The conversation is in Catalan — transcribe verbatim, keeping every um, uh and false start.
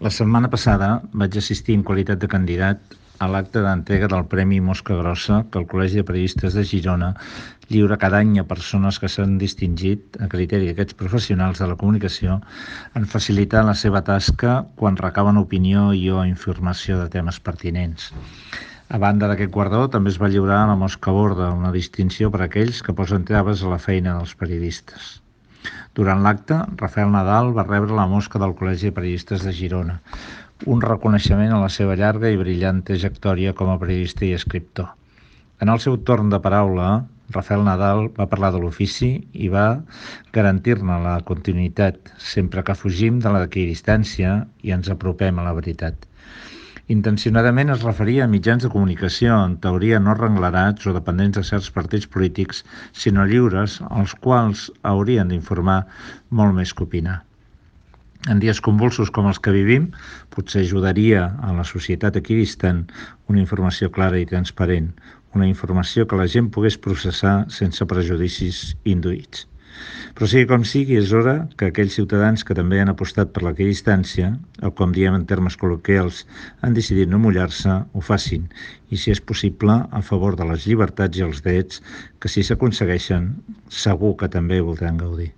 La setmana passada vaig assistir en qualitat de candidat a l'acte d'entrega del Premi Mosca Grossa que el Col·legi de Periodistes de Girona lliura cada any a persones que s'han distingit, a criteri d'aquests professionals de la comunicació, en facilitar la seva tasca quan recaben opinió i o informació de temes pertinents. A banda d'aquest guardó, també es va lliurar la Mosca Borda, una distinció per a aquells que posen traves a la feina dels periodistes. Durant l'acte, Rafael Nadal va rebre la Mosca del Col·legi de Periodistes de Girona, un reconeixement a la seva llarga i brillant trajectòria com a periodista i escriptor. En el seu torn de paraula, Rafael Nadal va parlar de l'ofici i va garantir-ne la continuïtat, sempre que fugim de l'equidistància i ens apropem a la veritat. Intencionadament es referia a mitjans de comunicació, en teoria no renglarats o dependents de certs partits polítics, sinó lliures, els quals haurien d'informar molt més que opinar. En dies convulsos com els que vivim, potser ajudaria a la societat equidistant una informació clara i transparent, una informació que la gent pogués processar sense prejudicis induïts. Però sigui com sigui, és hora que aquells ciutadans que també han apostat per l'equidistància, o com diem en termes col·loquials, han decidit no mullar-se, ho facin, i si és possible, a favor de les llibertats i els drets, que si s'aconsegueixen, segur que també voldran gaudir.